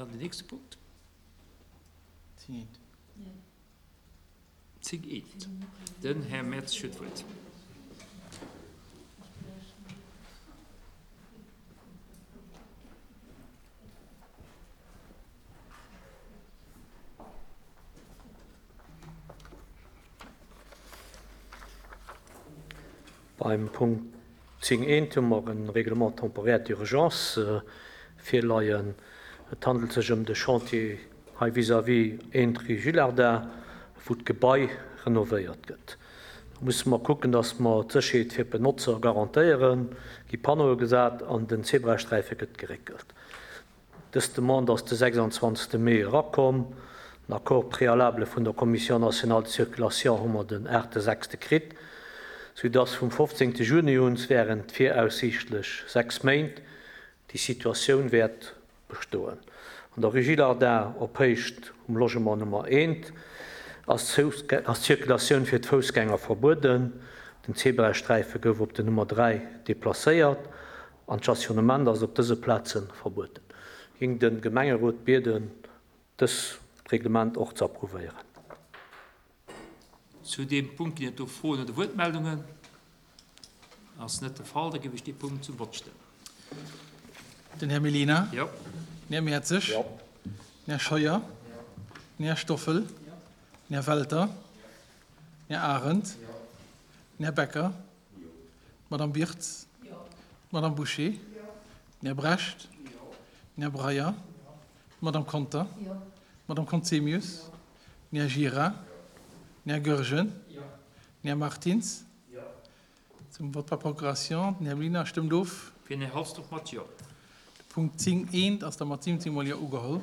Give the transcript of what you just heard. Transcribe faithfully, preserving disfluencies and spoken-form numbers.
Dann den nächste Punkt. Zéng eent. Zéng eent. Den Här Mertz huet d'Wuert. Beim Punkt zéng eent hu mer e Règlement temporaire d'urgence virleien. Et handelt sech ëm de Chantier hei vis-à-vis eent rue Gillardin, wou d'Gebai renovéiert gëtt. Do musse mer kucken, dass mer d'Sécherheet fir d'Benotzer garantéieren, gi Panneaue gesat an den Zebrasträife gëtt geréckelt. Dës Demande ass de sechsandzwanzegste Mee erakomm. Den Accord préalable vun der Commission nationale de circulation hu mer den aachte sechste kritt, soudass vum fofzéngte Juni un während viraussiichtlech sechs Méint déi Situatioun wäert bestoen. An der Rue Gillardin op Héicht um Logement Nummer eent ass d'Circulatioun fir d'Foussgänger verbueden. Den Zebrasträife gouf op den Nummer dräi deplacéiert an d'Stationnement ass op dëse Plaze verbueden. Ging de Gemengerot bieden, dës Reglement och ze approuvéieren. Zu deem Punkt ginn et do Froen oder Wuertmeldungen? Ass net de Fall, da géif ech dee Punkt zum Vott stellen. Den Här Mellina. Jo. Den Här Mertzig. Jo. Den Här Scheuer. Den Här Stoffel. Den Här Welter. Den Här Arendt. Den Här Becker. D'Madame Birtz. D'Madame Bouché. Den Här Brecht. Den Här Breyer. D'Madame Conter. D'Madame Conzemius. Den Här Gira. Den Här Goergen. Den Här Martins. Zum Vote par procuration. Den Här Mellina stëmmt of. Fir den Här Halsdorf mat Jo. De Punkt zéng eent ass da mat siwwenzéng mol Jo ugeholl.